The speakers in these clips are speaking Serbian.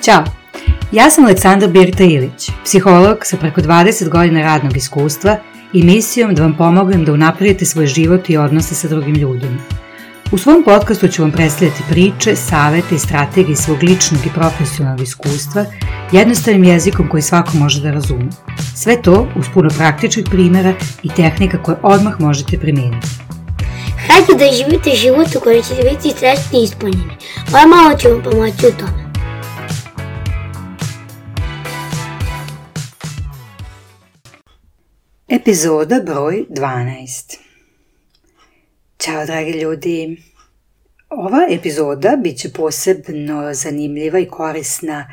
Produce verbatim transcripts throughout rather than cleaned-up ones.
Ćao, ja sam Aleksandra Birta-Ilić, psiholog sa preko dvadeset godina radnog iskustva i misijom da vam pomognem da unapredite svoj život i odnose sa drugim ljudima. U svom podcastu ću vam predstavljati priče, savete i strategije svog ličnog i profesionalnog iskustva jednostavnim jezikom koji svako može da razume. Sve to uz puno praktičnih primjera i tehnika koje odmah možete primijeniti. Hajde da živite život u kojem ćete biti srećni i ispunjeni. Moja mama će vam pomoći u tome. Epizoda broj dvanaest. Ćao dragi ljudi. Ova epizoda bit će posebno zanimljiva i korisna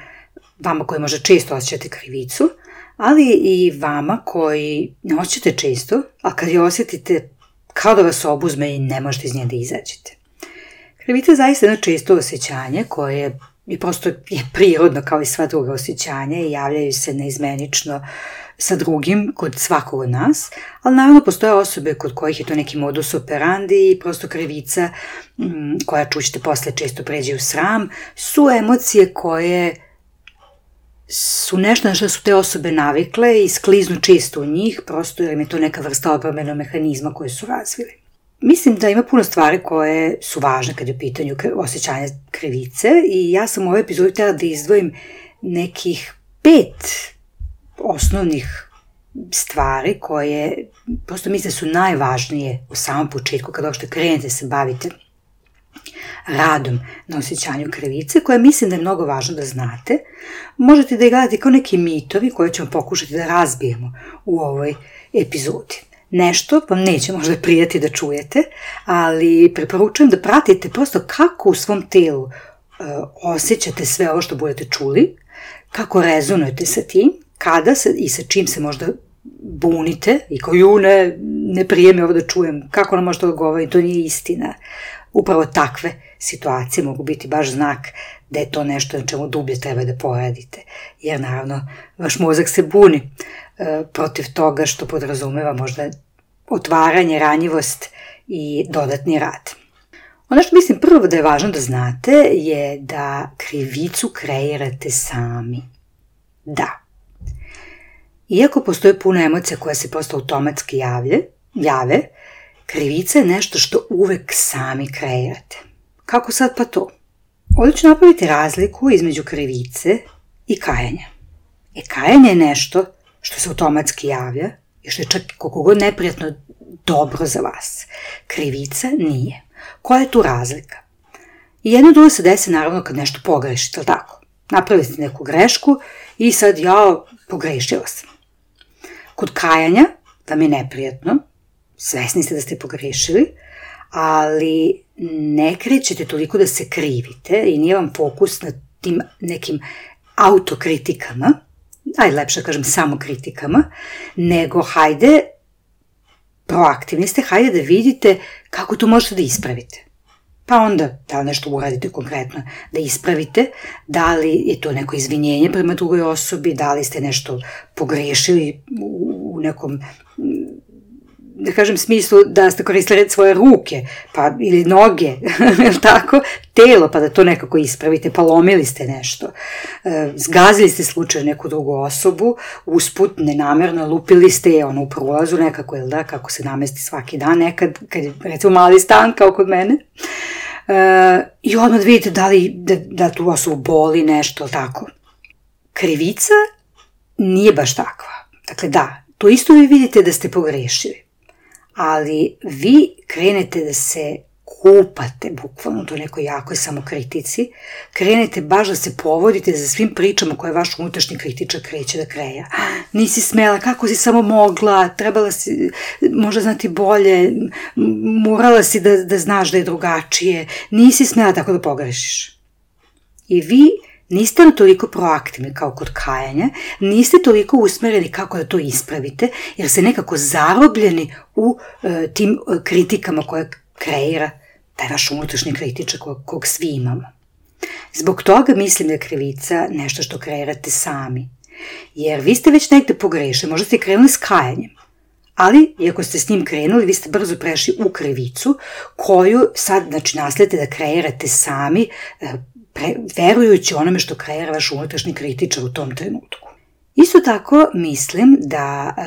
vama koji možda često osjećate krivicu, ali i vama koji ne osjećate često, a kad je osjetite kao da vas obuzme i ne možete iz nje da izađete. Krivica je zaista jedno često osjećanje koje je prosto je prirodno kao i sva druga osjećanja i javljaju se neizmenično sa drugim kod svakog od nas, ali naravno postoje osobe kod kojih je to neki modus operandi i prosto krivica koja, čućete posle, često pređe u sram, su emocije koje su nešto na što su te osobe navikle i skliznu često u njih, prosto jer im je to neka vrsta odbrambenog mehanizma koje su razvili. Mislim da ima puno stvari koje su važne kad je u pitanju osjećanja krivice i ja sam u ovoj epizodi htjela da izdvojim nekih pet osnovnih stvari koje prosto mislim su najvažnije u samom početku kada uopšte krenete se bavite radom na osjećanju krivice, koje mislim da je mnogo važno da znate. Možete da ih gledate kao neki mitovi koje ćemo pokušati da razbijemo u ovoj epizodi. Nešto vam neće možda prijati da čujete, ali preporučujem da pratite prosto kako u svom telu uh, osjećate sve ovo što budete čuli, kako rezonujete sa tim, kada se i sa čim se možda bunite i kao ju ne, ne prijemi ovo da čujem, kako nam možda odgovori, to nije istina. Upravo takve situacije mogu biti baš znak da je to nešto na čemu dublje treba da poradite, jer naravno vaš mozak se buni e, protiv toga što podrazumeva možda otvaranje, ranjivost i dodatni rad. Ono što mislim prvo da je važno da znate je da krivicu kreirate sami. Da. Iako postoje puno emocija koje se prosto automatski javlje, jave, krivica je nešto što uvek sami kreirate. Kako sad pa to? Ovdje ću napraviti razliku između krivice i kajanja. E, kajanje je nešto što se automatski javlja i što je čak koliko god neprijatno dobro za vas. Krivica nije. Koja je tu razlika? I jedno drugo se desi naravno kad nešto pogrešite, ali tako? Napravili ste neku grešku i sad ja pogrešila sam. Kod kajanja vam je neprijatno, svesni ste da ste pogrešili, ali ne krećete toliko da se krivite i nije vam fokus na tim nekim autokritikama, ajde lepše kažem samokritikama, nego hajde, proaktivni ste, hajde da vidite kako to možete da ispravite. Pa onda, da li nešto uradite konkretno, da ispravite, da li je to neko izvinjenje prema drugoj osobi, da li ste nešto pogrešili u nekom, da kažem, smislu da ste koristili svoje ruke, pa ili noge, tako, telo, pa da to nekako ispravite, pa lomili ste nešto, zgazili ste slučajno neku drugu osobu, usput, nenamerno, lupili ste je ono u prolazu nekako, ili da, kako se namesti svaki dan, nekad, kad je recimo mali stan kao kod mene, Uh, i odmah vidite da li da, da tu osobu boli nešto, tako. Krivica nije baš takva. Dakle, da, to isto vi vidite da ste pogrešili, ali vi krenete da se kupate, bukvalno, to nekoj jakoj samokritici, krenete baš da se povodite za svim pričama koje vaš unutrašnji kritičar kreće da kreja. Nisi smela, kako si samo mogla, trebala si možda znati bolje, morala si da, da znaš da je drugačije, nisi smela tako da pogrešiš. I vi niste na toliko proaktivni kao kod kajanja, niste toliko usmereni kako da to ispravite, jer ste nekako zarobljeni u e, tim kritikama koje kreira taj vaš unutrašnji kritičar kog, kog svi imamo. Zbog toga mislim da je krivica nešto što kreirate sami. Jer vi ste već negde pogrešili, možda ste krenuli s kajanjem, ali iako ste s njim krenuli, vi ste brzo prešli u krivicu koju sad, znači, nasledite da kreirate sami, pre, verujući onome što kreira vaš unutrašnji kritičar u tom trenutku. Isto tako mislim da e,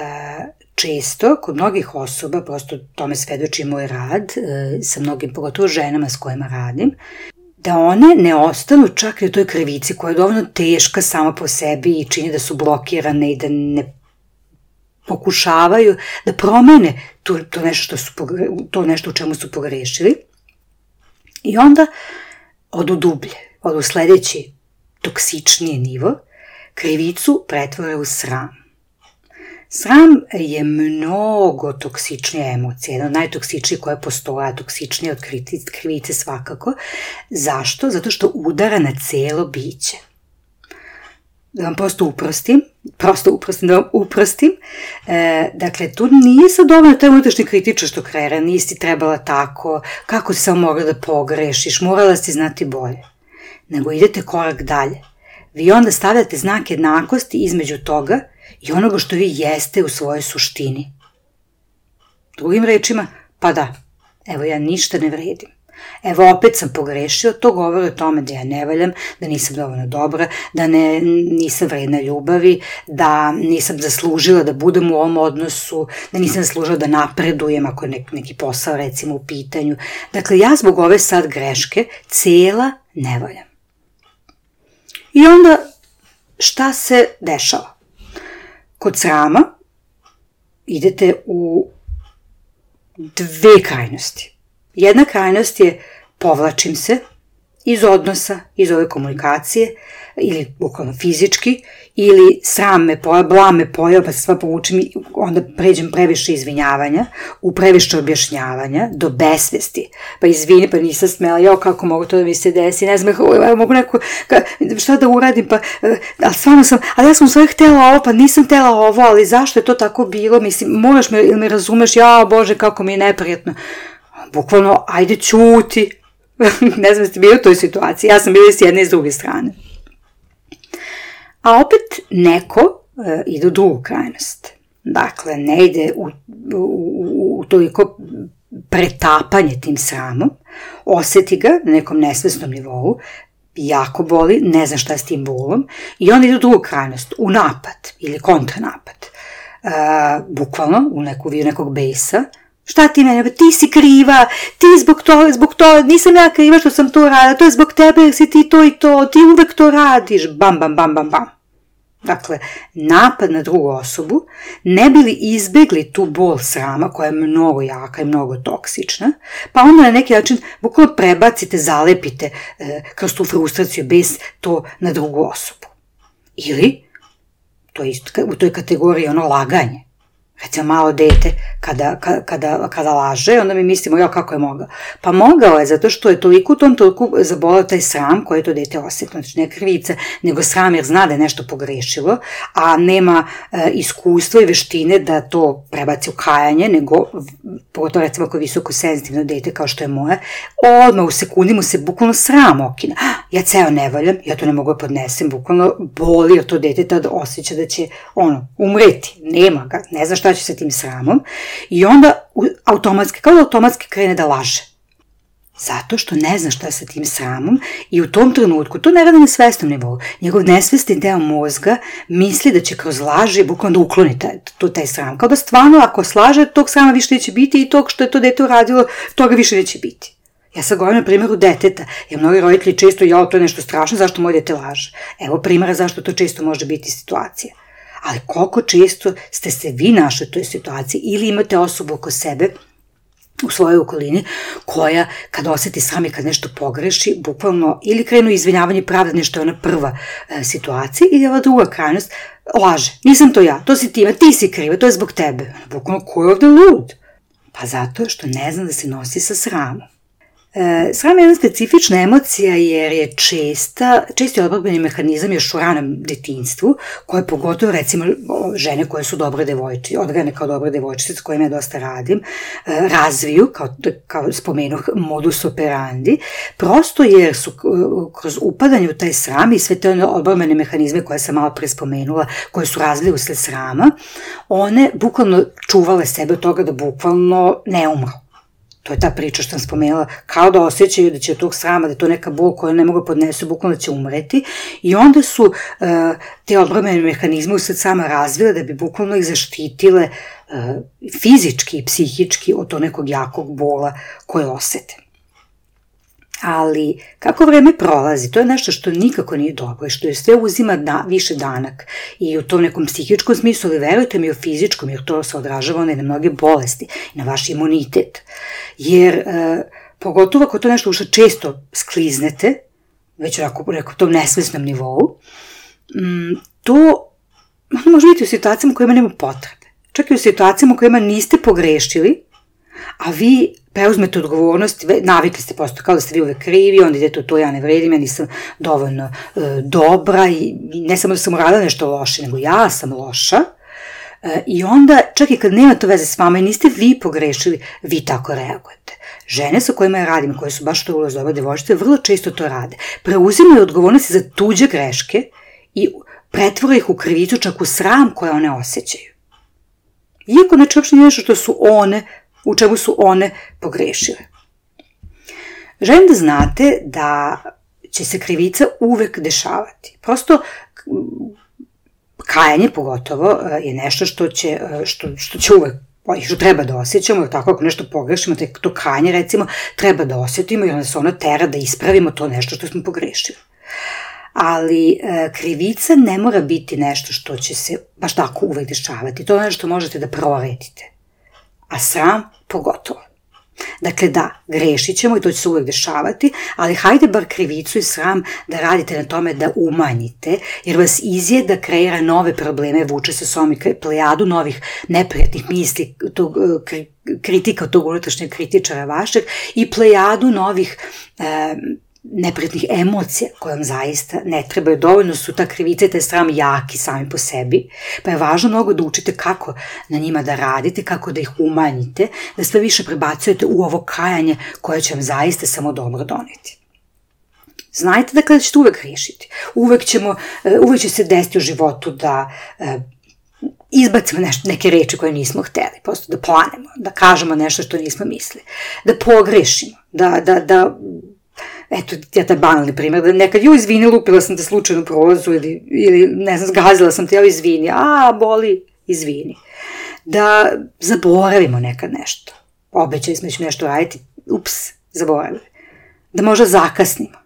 često kod mnogih osoba, prosto tome svedoči moj rad e, sa mnogim, pogotovo ženama s kojima radim, da one ne ostanu čak i u toj krivici koja je dovoljno teška sama po sebi i čini da su blokirane i da ne pokušavaju da promene to, to, nešto, što su, to nešto u čemu su pogrešili. I onda odu dublje, odu sledeći toksičniji nivo, krivicu pretvore u sram. Sram je mnogo toksičnija emocija, jedna od najtoksičnijih koja postoje, a toksičnija od krivice svakako. Zašto? Zato što udara na celo biće. Da vam prosto uprostim, prosto uprostim, da vam uprostim, e, dakle, tu nije sad dovoljno taj unutrašnji kritičar što kreira, nisi trebala tako, kako si samo mogla da pogrešiš, morala si znati bolje. Nego idete korak dalje. Vi onda stavljate znak jednakosti između toga i onoga što vi jeste u svojoj suštini. Drugim rečima, pa da, evo ja ništa ne vredim. Evo opet sam pogrešio, to govori o tome da ja ne valjam, da nisam dovoljno dobra, da ne, nisam vredna ljubavi, da nisam zaslužila da budem u ovom odnosu, da nisam zaslužila da napredujem ako je nek, neki posao recimo u pitanju. Dakle, ja zbog ove sad greške cela ne valjam. I onda šta se dešava? Kod srama idete u dve krajnosti. Jedna krajnost je povlačim se iz odnosa, iz ove komunikacije, ili bukvalno fizički, ili sram me pojao, blam me pojao, pa se sva povučem i onda pređem previše izvinjavanja, u previše objašnjavanja, do besvesti. Pa izvini, pa nisam smela, jao kako mogu to da mi se desi, ne znam, mogu neko, ka, šta da uradim, pa, ali stvarno sam, ali ja sam u stvari htjela ovo, pa nisam htjela ovo, ali zašto je to tako bilo, mislim, moraš me, ili me razumeš, jao Bože, kako mi je neprijatno. Bukvalno, ajde ćuti. Ne znam, ste bili u toj situaciji, ja sam bila s jedne i s druge strane. A opet neko e, ide u drugu krajnost. Dakle, ne ide u, u, u toliko pretapanje tim sramom, osjeti ga na nekom nesvesnom nivou, jako boli, ne zna šta s tim bolom, i onda ide u drugu krajnost, u napad ili kontranapad. E, bukvalno, u neku vidu nekog besa. Šta ti mene, ti si kriva, ti zbog toga, zbog toga, nisam ja kriva što sam to radila, to je zbog tebe jer si ti to i to, ti uvek to radiš, bam, bam, bam, bam, bam. Dakle, napad na drugu osobu, ne bi li izbegli tu bol srama koja je mnogo jaka i mnogo toksična, pa onda na neki način bukvalno prebacite, zalepite e, kroz tu frustraciju bez to na drugu osobu. Ili, to je isto u toj kategoriji ono laganje. Recimo malo dete kada, kada, kada laže, onda mi mislimo, ja kako je mogao? Pa mogao je zato što je toliko u tom toliko zabolao taj sram koje je to dete osjetilo. Znači ne krivica, nego sram jer zna da je nešto pogrešilo, a nema e, iskustva i veštine da to prebaci u kajanje, nego, pogotovo recimo ako je visoko senzitivno dete kao što je moje, odmah u sekundi mu se bukvalno sram okina. Ja ceo ne valjam, ja to ne mogu da podnesem, bukvalno boli jer to dete tada osjeća da će ono, umreti, nema ga, ne zna šta će sa tim sramom i onda automatski, kao da automatski krene da laže. Zato što ne zna šta sa tim sramom i u tom trenutku, to ne radi na svesnom nivou, njegov nesvesni deo mozga misli da će kroz laži bukvalno da ukloni taj, taj sram. Kao da stvarno ako slaže, tog srama više neće biti i tog što je to dete uradilo, toga više neće biti. Ja sad govorim na primjeru deteta, jer mnogi roditelji često, jao, to je nešto strašno, zašto moj dete laže? Evo primjera zašto to često može biti situacija. Ali koliko često ste se vi našli u toj situaciji ili imate osobu oko sebe u svojoj okolini koja kad osjeti sram i kad nešto pogreši, bukvalno ili krenu izvinjavanje pravda nešto je ona prva e, situacija ili ova druga krajnost, laže, nisam to ja, to si ti, ti si kriva, to je zbog tebe. Bukvalno ko je ovde lud? Pa zato što ne zna da se nosi sa sramom. E, sram je jedna specifična emocija jer je česta, česti odbrambeni mehanizam još u ranom detinjstvu, koje pogotovo recimo žene koje su dobre devojčice, odgajane kao dobre devojčice s kojima ja dosta radim, e, razviju, kao, kao spomenuh, modus operandi, prosto jer su kroz upadanje u taj sram i sve te odbrambene mehanizme koje sam malo pre spomenula, koje su razvili usled srama, one bukvalno čuvale sebe od toga da bukvalno ne umru. To je ta priča što sam spomenula, kao da osjećaju da će od tog srama, da je to neka bol koju ne mogu podnesu, bukvalno da će umreti. I onda su uh, te odbrambene mehanizme usred sama razvile da bi bukvalno ih zaštitile uh, fizički i psihički od tog nekog jakog bola koje osete. Ali kako vreme prolazi, to je nešto što nikako nije dobro i što je sve uzima da, više danak i u tom nekom psihičkom smislu, ali verujte mi, u fizičkom, jer to se odražava na mnoge bolesti i na vaš imunitet. Jer e, pogotovo ako to nešto što često skliznete, već onako u tom nesvesnom nivou, m, to može biti u situacijama u kojima nema potrebe. Čak i u situacijama u kojima niste pogrešili, a vi preuzmete odgovornost, navikli ste posto kao da ste vi uvek krivi, onda idete u to, ja ne vredim, ja nisam dovoljno e, dobra i ne samo da sam uradila nešto loše, nego ja sam loša. E, I onda, čak i kad nema to veze s vama i niste vi pogrešili, vi tako reagujete. Žene sa kojima ja radim, koje su baš to ulaz dobre devojčice, vrlo često to rade. Preuzimaju odgovornosti za tuđe greške i pretvore ih u krivicu, čak u sram koje one osjećaju. Iako znači uopšte nije nešto što su one u čemu su one pogrešile. Želim da znate da će se krivica uvek dešavati. Prosto, kajanje pogotovo je nešto što će, što, što će uvek, što treba da osjećamo, jer tako ako nešto pogrešimo, to kajanje recimo treba da osjetimo i onda se ono tera da ispravimo to nešto što smo pogrešili. Ali e, krivica ne mora biti nešto što će se baš tako uvek dešavati. To je nešto što možete da proredite. A sram pogotovo. Dakle da, grešit ćemo i to će se uvek dešavati, ali hajde bar krivicu i sram da radite na tome da umanjite, jer vas izjeda kreira nove probleme, vuče sa sobom i plejadu novih neprijatnih misli, tog, kritika od tog unutrašnjeg kritičara vašeg i plejadu novih e, neprijatnih emocija koje vam zaista ne trebaju. Dovoljno su ta krivica i taj sram jaki sami po sebi, pa je važno mnogo da učite kako na njima da radite, kako da ih umanjite, da sve više prebacujete u ovo kajanje koje će vam zaista samo dobro doneti. Znajte da kada ćete uvek riješiti, uvek, ćemo, uvek će se desiti u životu da izbacimo nešto, neke reči koje nismo hteli, prosto da planemo, da kažemo nešto što nismo mislili, da pogrešimo, da, da, da eto, ja taj banalni primjer, da nekad, joj, izvini, lupila sam te slučajno prolazu ili, ili, ne znam, zgazila sam te, joj, izvini, a, boli, izvini. Da zaboravimo nekad nešto. Obećali smo da ćemo nešto raditi, ups, zaboravili. Da možda zakasnimo.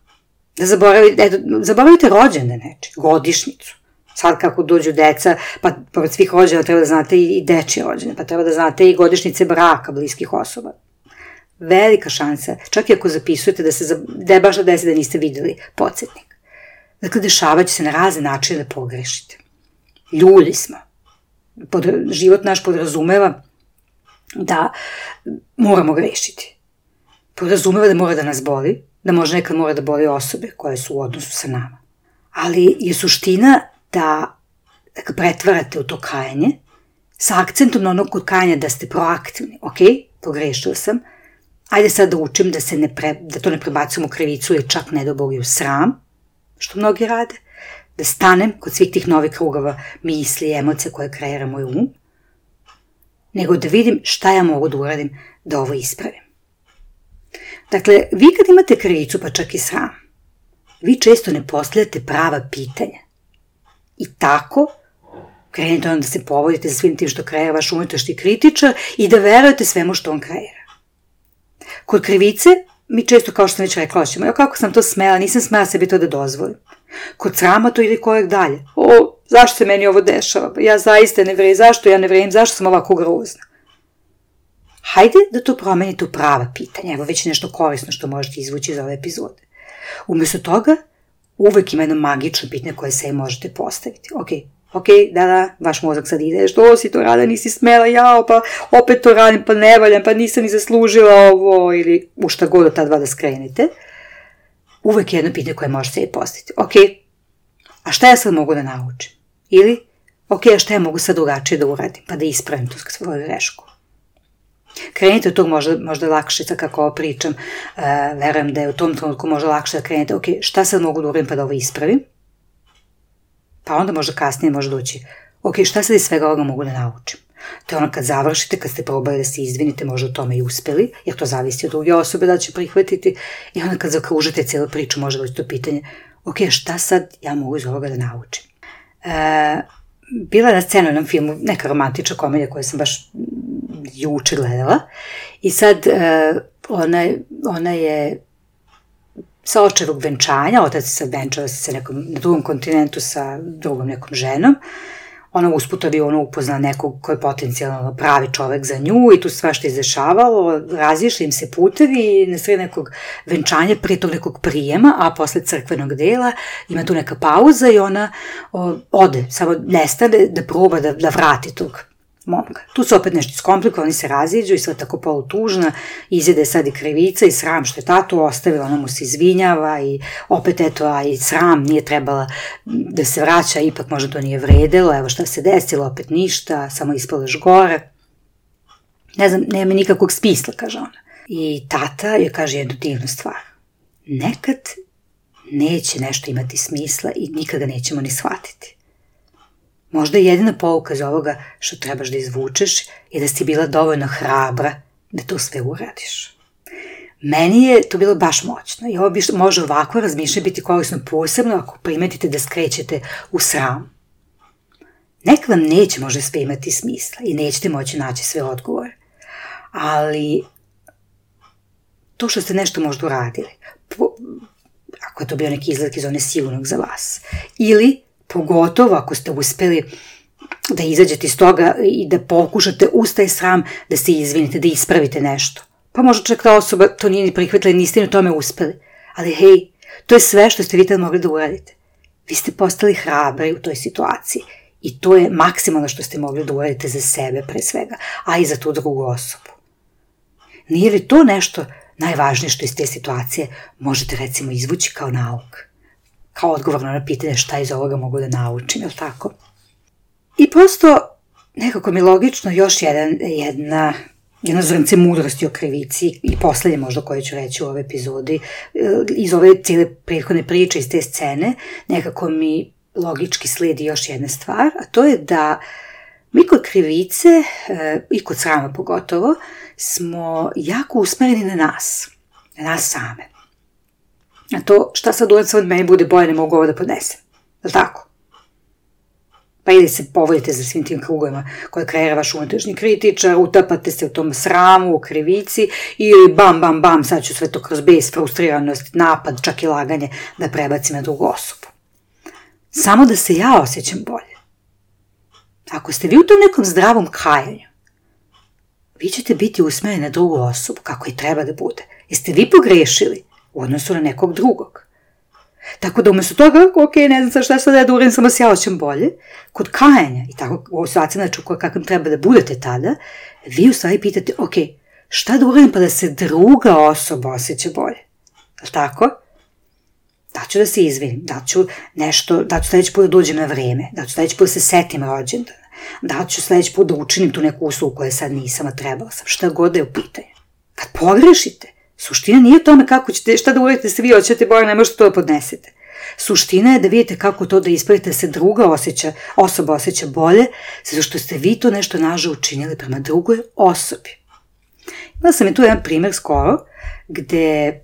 Da zaboravite, eto, zaboravite rođene neče, godišnicu. Sad kako dođu deca, pa pored svih rođena treba da znate i, i dečje rođene, pa treba da znate i godišnjice braka bliskih osoba. Velika šansa, čak i ako zapisujete da se da je baš da desi da niste videli podsjetnik. Dakle, dešavat će se na razne načine da pogrešite. Ljulji smo. Pod, život naš podrazumeva da moramo grešiti. Podrazumeva da mora da nas boli, da možda nekad mora da boli osobe koje su u odnosu sa nama. Ali je suština da, da pretvarate u to kajanje sa akcentom na onog kod kajanja da ste proaktivni. Ok, pogrešila sam, ajde sad da učim da, se ne pre, da to ne prebacujemo u krivicu ili čak ne do Boga u sram, što mnogi rade, da stanem kod svih tih novih krugova misli i emocija koje kreira moj um, nego da vidim šta ja mogu da uradim da ovo ispravim. Dakle, vi kad imate krivicu, pa čak i sram, vi često ne postavljate prava pitanja. I tako krenete onda da se povodite za svim tim što kreira vaš unutrašnji kritičar i da verujete svemu što on kreira. Kod krivice, mi često, kao što sam već rekla, ćemo, jo, kako sam to smela, nisam smela sebi to da dozvolim. Kod srama to ide korek dalje. O, zašto se meni ovo dešava? Ja zaista ne vredim, zašto ja ne vredim, zašto sam ovako grozna? Hajde da to promenite u prava pitanja, evo već nešto korisno što možete izvući iz ove epizode. Umjesto toga, uvek ima jedno magično pitanje koje se možete postaviti. Ok, ok, da, da, vaš mozak sad ide, što si to rada, nisi smela, jao, pa opet to radim, pa ne valjam, pa nisam ni zaslužila ovo, ili u šta god od ta dva da skrenete. Uvek je jedno pitanje koje možete sebi postaviti. Ok, a šta ja sad mogu da naučim? Ili, ok, a šta ja mogu sad drugačije da uradim, pa da ispravim tu svoju grešku? Krenite od tog možda, možda lakše, sad kako ovo pričam, uh, verujem da je u tom trenutku možda lakše da krenete, ok, šta sad mogu da uradim pa da ovo ispravim? Pa onda možda kasnije može doći, ok, šta sad iz svega ovoga mogu da naučim? To je ono kad završite, kad ste probali da se izvinite, možda u tome i uspeli, jer to zavisi od druge osobe da će prihvatiti, i onda kad zakružite cijelu priču, može doći to pitanje, ok, šta sad ja mogu iz ovoga da naučim? E, bila je na scenu u jednom filmu, neka romantična komedija koju sam baš juče gledala, i sad e, ona, ona je sa očevog venčanja, otac se venčava se nekom, na drugom kontinentu sa drugom nekom ženom, ona usput avionu upozna nekog koji je potencijalno pravi čovek za nju i tu svašta izdešavalo, razišli im se putevi i na sred nekog venčanja, prije tog nekog prijema, a posle crkvenog dela ima tu neka pauza i ona o, ode, samo nestane da proba da, da vrati tog momka. Tu se opet nešto iskomplika, oni se raziđu i sve tako polutužna, izjede sad i krivica i sram što je tatu ostavila, ona mu se izvinjava i opet eto, a i sram, nije trebala da se vraća, ipak možda to nije vredelo, evo šta se desilo, opet ništa, samo ispalaš gore. Ne znam, nema nikakvog smisla, kaže ona. I tata joj kaže jednu divnu stvar. Nekad neće nešto imati smisla i nikad ga nećemo ni shvatiti. Možda jedina pouka za ovoga što trebaš da izvučeš je da si bila dovoljno hrabra da to sve uradiš. Meni je to bilo baš moćno i ovo bi može ovako razmišljati biti korisno posebno ako primetite da skrećete u sram. Neka vam neće možda sve imati smisla i nećete moći naći sve odgovore, ali to što ste nešto možda uradili, po, ako je to bio neki izlazak iz one sigurnog za vas, ili pogotovo ako ste uspeli da izađete iz toga i da pokušate uz taj sram da se izvinite, da ispravite nešto. Pa možda čak ta osoba to nije ni prihvatila i niste ni u tome uspeli. Ali hej, to je sve što ste vi tad mogli da uradite. Vi ste postali hrabri u toj situaciji i to je maksimalno što ste mogli da uradite za sebe pre svega, a i za tu drugu osobu. Nije li to nešto najvažnije što iz te situacije možete recimo izvući kao nauk? Kao odgovorno na pitanje šta iz ovoga mogu da naučim, je li tako? I prosto, nekako mi logično, još jedan, jedna, jedna zrnce mudrosti o krivici i poslednje možda koje ću reći u ovoj epizodi, iz ove cijele prethodne priče, iz te scene, nekako mi logički slijedi još jedna stvar, a to je da mi kod krivice, i kod srama pogotovo, smo jako usmereni na nas, na nas same. A to šta sad uradim, sad meni bude bolje, ne mogu ovo da podnesem. Je li tako? Pa ili se povodite za svim tim krugovima koje kreira vaš unutrašnji kritičar, utapate se u tom sramu, u krivici ili bam, bam, bam, sad ću sve to kroz bes, frustriranost, napad, čak i laganje da prebacim na drugu osobu. Samo da se ja osjećam bolje. Ako ste vi u tom nekom zdravom kajanju, vi ćete biti usmereni na drugu osobu kako i treba da bude. Jeste vi pogrešili u odnosu na nekog drugog? Tako da umjesto toga, ok, ne znam šta sad da uradim, samo se ja osjećam bolje, kod kajanja i tako u situaciji znači kakvim treba da budete tada, vi u stvari pitate, ok, šta da uradim pa da se druga osoba osjeća bolje? Je li tako? Da ću da se izvinim, da ću nešto, da ću sledeći put da dođem na vreme, da ću sledeći put da se setim rođendana, da ću sledeći put da učinim tu neku uslugu koju sad nisam, a trebala sam, šta god da je u pitanju. Kad pogrešite, suština nije u tome kako ćete, šta da uradite se vi hoćete bolje, ne možete to da podnesete. Suština je da vidite kako to da ispravite, da se druga osjeća, osoba osjeća bolje, zato što ste vi to nešto nažal učinili prema drugoj osobi. Imala sam je tu jedan primjer skoro, gde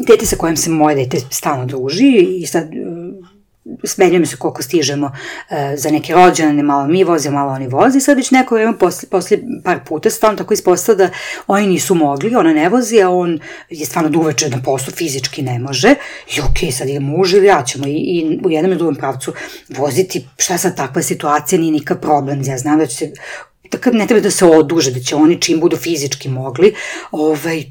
dete sa kojim se moje dete stalno druži i sad smenjujemo se koliko stižemo uh, za neke rođene, malo mi voze, malo oni voze i sad već neko vreme posle, posle par puta stalno tako ispostavlja da oni nisu mogli, ona ne vozi, a on je stvarno da uveče na poslu fizički ne može i ok, sad je muž ili ja ćemo i, i u jednom i drugom pravcu voziti, šta sad takva situacija, nije nikak problem, ja znam da će se, tako ne treba da se oduže, da će oni čim budu fizički mogli, ovaj,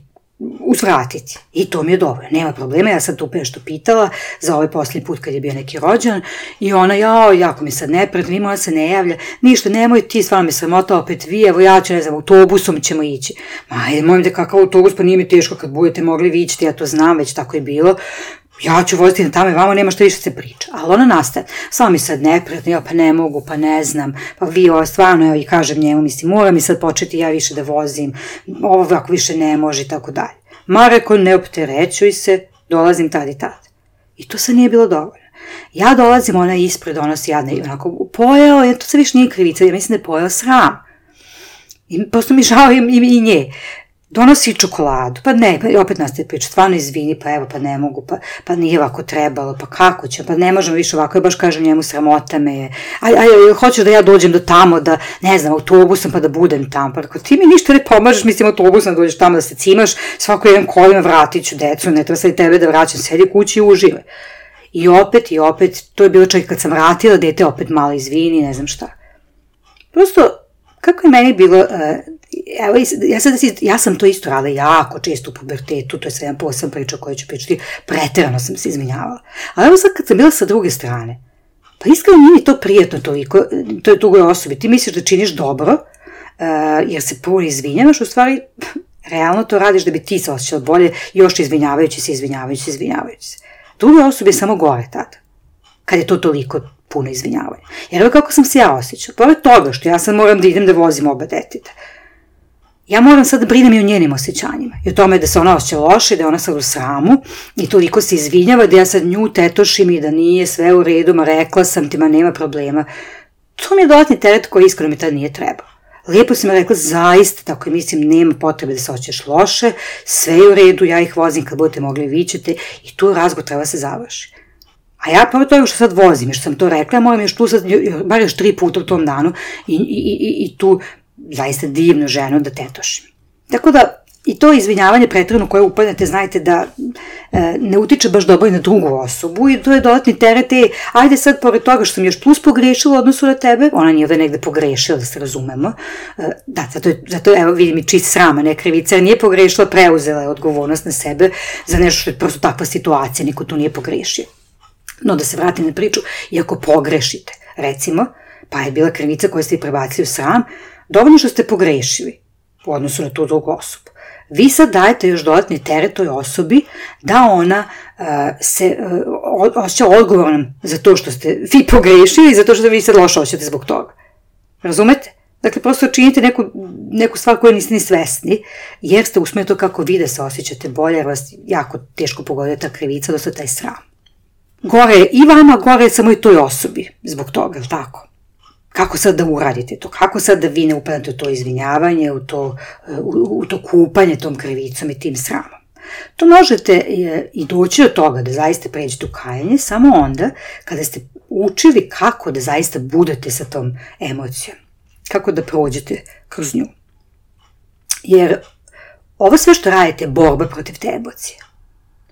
uzvratiti. I to mi je dobro, nema problema, ja sam tu nešto pitala za ovaj posljednji put kad je bio neki rođan i ona, jao, jako mi sad neprijatno, ima, ona se ne javlja, ništa, nemoj ti, stvarno me sramota, opet vi, evo ja ću, ne znam, autobusom ćemo ići. Ma, mojim da kakav autobus, pa nije mi teško kad budete mogli vi ići, ja to znam, već tako je bilo, ja ću voziti na tamo i vama, nema što više se priča. Ali ona nastaje, samo mi sad neprijatno, ja pa ne mogu, pa ne znam, pa vi ovo stvarno, evo i kažem njemu, mislim, mora mi sad početi ja više da vozim, ovo ako više ne može i tako dalje. Ma reko, ne opterećuj se, dolazim tad i tad. I to sad nije bilo dovoljno. Ja dolazim, ona ispred donosi jadne i onako, pojeo, ja, to se više nije krivica, ja mislim da je pojeo sram. I prosto mi žao i, i, i nje. Donosi čokoladu, pa ne, pa opet nastaje priča, stvarno izvini, pa evo, pa ne mogu, pa, pa nije ovako trebalo, pa kako će, pa ne možemo više ovako, ja baš kažem njemu, sramota me je, aj, aj, hoćeš da ja dođem do tamo, da, ne znam, autobusom, pa da budem tamo, pa tako, ti mi ništa ne pomažeš, mislim, autobusom da dođeš tamo, da se cimaš, svako jedan kolima, vratit ću decu, ne treba sad i tebe da vraćam, sedi kući i uživaj. I opet, i opet, to je bilo čak kad sam vratila, dete opet malo izvini, ne znam šta. Prosto, kako je meni bilo, uh, evo, ja, sad, ja sam to isto radila jako često u pubertetu, to je sve jedan posebna priča koju ću pričati, preterano sam se izvinjavala. Ali evo sad kad sam bila sa druge strane, pa iskreno nije mi to prijatno toliko, to je drugoj osobi, ti misliš da činiš dobro, uh, jer se puno izvinjavaš, u stvari, realno to radiš da bi ti se osjećala bolje, još izvinjavajući se, izvinjavajući se, izvinjavajući se. Drugoj osobi je samo gore tada, kad je to toliko puno izvinjavanja. Jer evo kako sam se ja osjećala. Pored toga što ja sad moram da idem da vozim oba deteta. Ja moram sad da brinem i o njenim osjećanjima. I o tome da se ona osjeća loše, da je ona sad u sramu i toliko se izvinjava da ja sad nju tetošim i da nije sve u redu, ma rekla sam ti, ma nema problema. To mi je dodatni teret koji iskreno mi tada nije trebao. Lijepo si mi rekla, zaista, tako je, mislim, nema potrebe da se osjećaš loše, sve je u redu, ja ih vozim kad budete mogli, vi ćete i tu razgovor treba se završi. A ja pored toga što sad vozim, što sam to rekla, moram još tu sad, bar još tri puta u tom danu i, i, i, i tu zaista divnu ženu da tetošim. Tako da i to izvinjavanje pretredno koje upadnete, znajte da e, ne utiče baš dobro i na drugu osobu i to je dodatni teret, e, ajde sad pored toga što sam još plus pogrešila u odnosu na tebe, ona nije ovdje negde pogrešila, da se razumemo, e, da, zato, je, zato evo vidim i čist srama, ne krivica, nije pogrešila, preuzela je odgovornost na sebe za nešto što je prosto takva situacija, niko tu nije pogrešio. No da se vratim na priču, i ako pogrešite, recimo, pa je bila krivica koja ste i prebacili u sram, dovoljno što ste pogrešili u odnosu na tu drugu osobu. Vi sad dajete još dodatni teret toj osobi da ona uh, se uh, osjeća odgovornom za to što ste vi pogrešili i za to što vi sad loše osjećate zbog toga. Razumete? Dakle, prosto činite neku, neku stvar koju niste ni svesni, jer ste usmjerili to kako vi da se osjećate bolje, jer vas jako teško pogoduje ta krivica, odnosno taj sram. Gore je i vama, gore je samo i toj osobi zbog toga, je li tako? Kako sad da uradite to? Kako sad da vi ne upadate u to izvinjavanje, u to, u, u to kupanje tom krivicom i tim sramom? To možete i doći do toga da zaista pređete u kajanje samo onda kada ste učili kako da zaista budete sa tom emocijom. Kako da prođete kroz nju. Jer ovo sve što radite je borba protiv te emocije.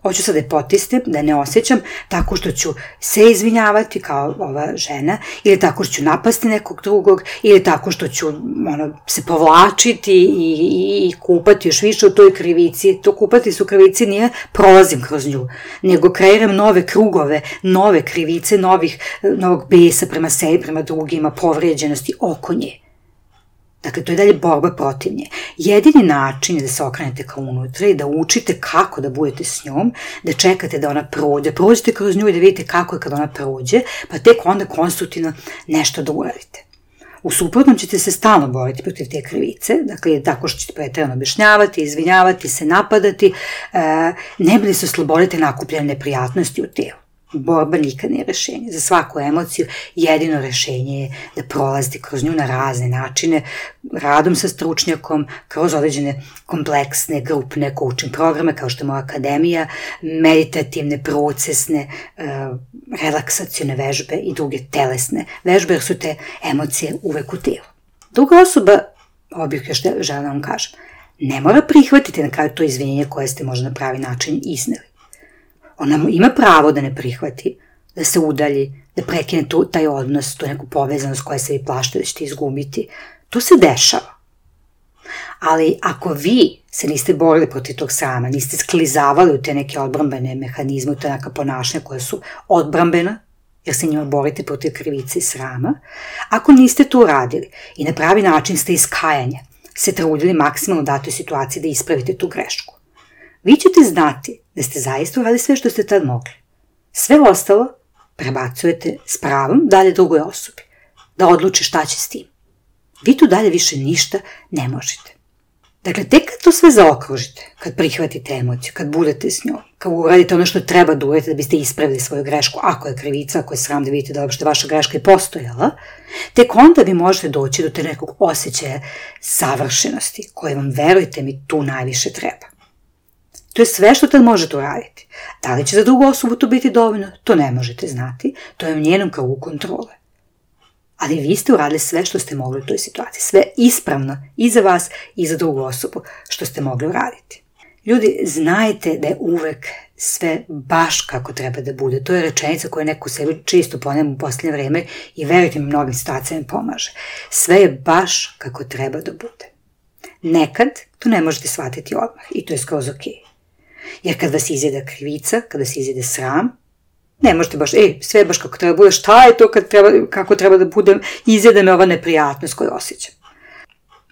Hoću sad da je potisnem, da ne osjećam tako što ću se izvinjavati kao ova žena, ili tako što ću napasti nekog drugog, ili tako što ću ono, se povlačiti i, i, i kupati još više u toj krivici. To kupati su krivici nije prolazim kroz nju, nego kreiram nove krugove, nove krivice, novih, novog besa prema sebi, prema drugima, povrijeđenosti oko nje. Dakle, to je dalje borba protiv nje. Jedini način je da se okrenete ka unutra i da učite kako da budete s njom, da čekate da ona prođe, prođete kroz nju i da vidite kako je kad ona prođe, pa tek onda konstruktivno nešto da uradite. U suprotnom ćete se stalno boriti protiv te krivice, dakle, tako što ćete pretjerano objašnjavati, izvinjavati se, napadati, ne bi li se oslobodite nakupljene neprijatnosti u telu. Borba nikad nije rešenje. Za svaku emociju jedino rešenje je da prolazite kroz nju na razne načine, radom sa stručnjakom, kroz određene kompleksne, grupne coaching programe, kao što je moja akademija, meditativne, procesne, relaksacione vežbe i druge telesne vežbe, jer su te emocije uvek u telu. Druga osoba, ovo bih još želela da vam kažem, ne mora prihvatiti na kraju to izvinjenje koje ste možda na pravi način izneli. Ona ima pravo da ne prihvati, da se udalji, da prekine tu, taj odnos, tu neku povezanost koja se vi plašite da ćete izgubiti. To se dešava. Ali ako vi se niste borili protiv tog srama, niste sklizavali u te neke odbrambene mehanizme, u te neka ponašanja koja su odbrambena, jer se njima borite protiv krivice i srama, ako niste to uradili i na pravi način ste iz kajanja se trudili maksimalno u datoj situaciji da ispravite tu grešku, vi ćete znati da ste zaista uradili sve što ste tad mogli. Sve ostalo prebacujete s pravom dalje drugoj osobi, da odluči šta će s tim. Vi tu dalje više ništa ne možete. Dakle, tek kad to sve zaokružite, kad prihvatite emociju, kad budete s njom, kad uradite ono što treba da uradite da biste ispravili svoju grešku, ako je krivica, ako je sram da vidite da uopšte vaša greška je postojala, tek onda vi možete doći do te nekog osjećaja savršenosti, koje vam, verujte mi, tu najviše treba. To je sve što tad možete uraditi. Da li će za drugu osobu to biti dovoljno? To ne možete znati, to je u njenom krugu kontrole. Ali vi ste uradili sve što ste mogli u toj situaciji. Sve ispravno i za vas i za drugu osobu što ste mogli uraditi. Ljudi, znajte da je uvek sve baš kako treba da bude. To je rečenica koju neko sebi čisto ponema u posljednje vreme i verujte mi, mnogim situacijama pomaže. Sve je baš kako treba da bude. Nekad to ne možete shvatiti odmah i to je skroz ok. Jer kad vas izjeda krivica, kad vas izjede sram, ne možete baš, ej, sve je baš kako treba da bude, šta je to kad treba, kako treba da budem, izjede me ova neprijatnost koju osjećam.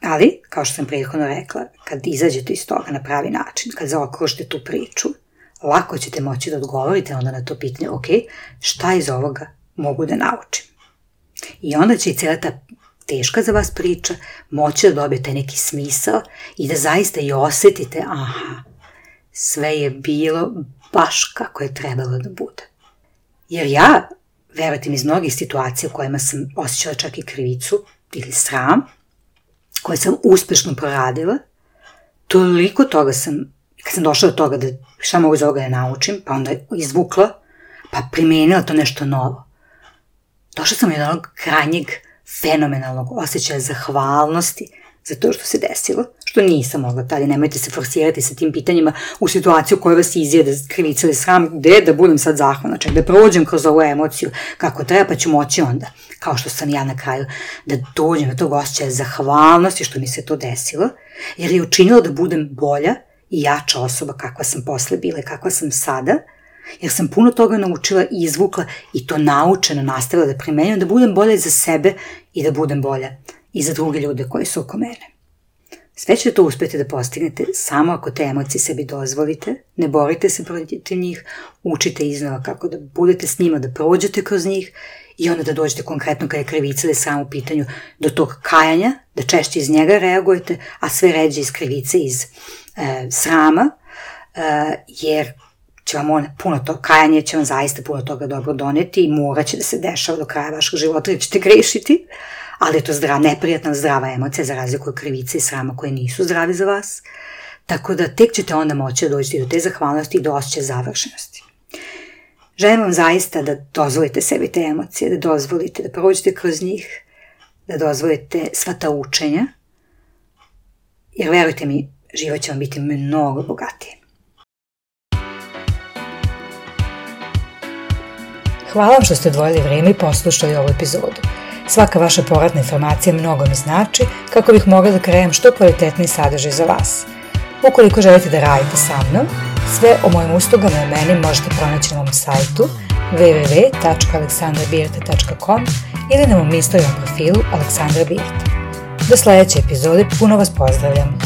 Ali, kao što sam prethodno rekla, kad izađete iz toga na pravi način, kad zaokružite tu priču, lako ćete moći da odgovorite onda na to pitanje, ok, šta iz ovoga mogu da naučim? I onda će i cijela ta teška za vas priča moći da dobije taj neki smisao i da zaista i osjetite, aha, sve je bilo baš kako je trebalo da bude. Jer ja, verujte mi, iz mnogih situacija u kojima sam osjećala čak i krivicu ili sram, koje sam uspešno proradila, toliko toga sam, kad sam došla do toga da šta mogu iz ovoga da naučim, pa onda izvukla, pa primenila to nešto novo. Došla sam od onog krajnjeg fenomenalnog osjećaja zahvalnosti za to što se desilo, što nisam mogla tada. Nemojte se forsirati sa tim pitanjima u situaciju koja vas izjede krivica ili sram, gde da budem sad zahvalna, čak da prođem kroz ovu emociju kako treba, pa ću moći onda, kao što sam ja na kraju, da dođem do tog osjećaja zahvalnosti što mi se to desilo, jer je učinilo da budem bolja i jača osoba kakva sam posle bila i kakva sam sada, jer sam puno toga naučila i izvukla i to naučeno nastavila da primenjujem, da budem bolja za sebe i da budem bolja i za druge ljude koji su oko mene. Sve ćete to uspjeti da postignete samo ako te emocije sebi dozvolite, ne borite se protiv njih, učite iznova kako da budete s njima, da prođete kroz njih i onda da dođete konkretno kada je krivica ili sram u pitanju do tog kajanja, da češće iz njega reagujete, a sve ređe iz krivice, iz e, srama, e, jer će vam on, puno to, kajanje će vam zaista puno toga dobro doneti i morat će da se dešava do kraja vašeg života jer ćete grešiti, ali je to zdrava, neprijatna, zdrava emocija za razliku od krivice i srama koje nisu zdravi za vas. Tako da tek ćete onda moći da dođete do te zahvalnosti i do osjećaja završenosti. Želim vam zaista da dozvolite sebi te emocije, da dozvolite da prođete kroz njih, da dozvolite sva ta učenja, jer verujte mi, život će vam biti mnogo bogatiji. Hvala vam što ste odvojili vrijeme i poslušali ovu epizodu. Svaka vaša povratna informacija mnogo mi znači kako bih mogla da krenem što kvalitetniji sadržaj za vas. Ukoliko želite da radite sa mnom, sve o mojim uslugama i meni možete pronaći na mom sajtu w w w tačka aleksandra birta tačka com ili na mom Instagram profilu Aleksandra Birta. Do sljedeće epizode puno vas pozdravljam.